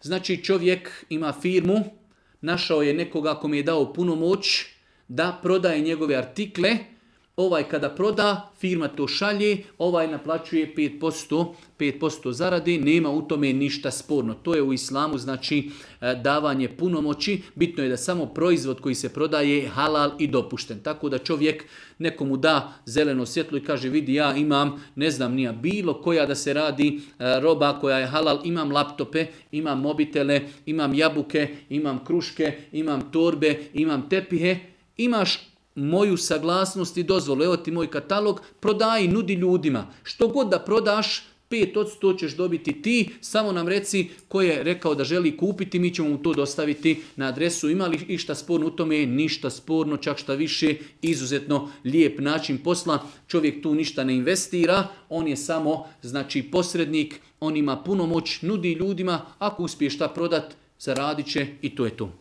Znači čovjek ima firmu, našao je nekoga kome je dao punomoć da prodaje njegove artikle, ovaj kada proda, firma to šalje, ovaj naplaćuje 5% zarade, nema u tome ništa sporno. To je u islamu znači davanje punomoći, bitno je da samo proizvod koji se prodaje halal i dopušten. Tako da čovjek nekomu da zeleno svjetlo i kaže vidi ja imam, ne znam nija, bilo koja da se radi roba koja je halal, imam laptope, imam mobitele, imam jabuke, imam kruške, imam torbe, imam tepihe, imaš moju saglasnost i dozvolu, evo ti moj katalog, prodaj, nudi ljudima. Što god da prodaš, 5% ćeš dobiti ti, samo nam reci ko je rekao da želi kupiti, mi ćemo mu to dostaviti na adresu. Ima li išta sporno u tome? Ništa sporno, čak šta više, izuzetno lijep način posla. Čovjek tu ništa ne investira, on je samo znači posrednik, on ima punomoć, nudi ljudima, ako uspije šta prodat, zaradit će i to je to.